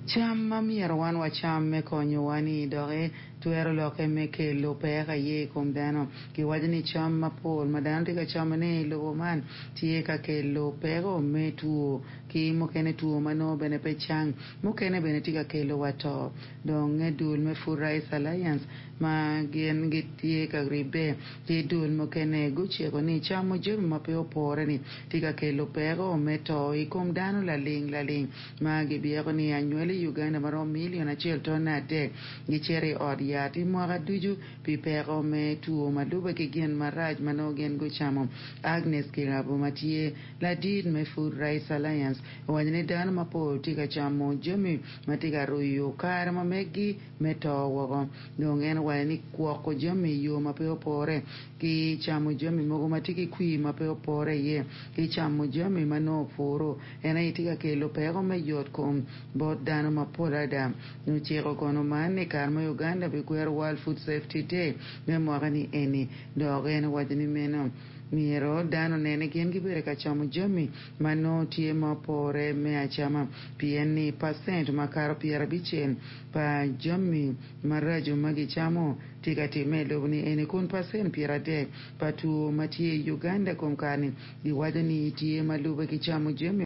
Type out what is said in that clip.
Cam ma myero wan wacam me konyowa-ni doki twero lokke me kelo peko aye i kom dano. Kiwaco ni cam mapol ma dano tye ka camone i lobo man tye ka kelo peko me two ki mukene two ma nongo bene pe cang mukene bene tye ka kelo wa to. Dong dul me Food Rights Alliance ma gin gitye ka ribbe ki dul mukene guciko ni camo jami ma pe opore-ni tye ka kelo peko me to i kom dano laling laling ma gibyeko ni anywali i Uganda ma romo milion acel tone adek gicito i ot yat i mwaka ducu pi peko me two ma lube ki gin marac ma nongo gin gucamo. Agnes Kirabo ma tye ladit me Food Rights Alliance owaco ni dano mapol tye ka camo jami ma tye ka ruyo kare ma meggi me to woko. Dong en owaco ni gwoko jami i yo ma pe opore ki camo jami mogo ma tye ki kwir ma pe opore iye ki camo jami ma nongo opuru en aye tye ka kelo peko me yot kom bot dano mapol adada. Ociko kono man i kare ma Uganda bikwero World Food Safety Day me mwaka-ni eni dok en owaco ni meno myero dano onen ni gin gibedo ka camo jami ma nongo tye ma opore me acama pien ni pacent makato 50 pa jami maraco ma gicamo tye ka timme i lobo ni eni kun pacent 30 pa two ma tye i Uganda kom kare-ni giwaco ni tye ma lube ki camo jami.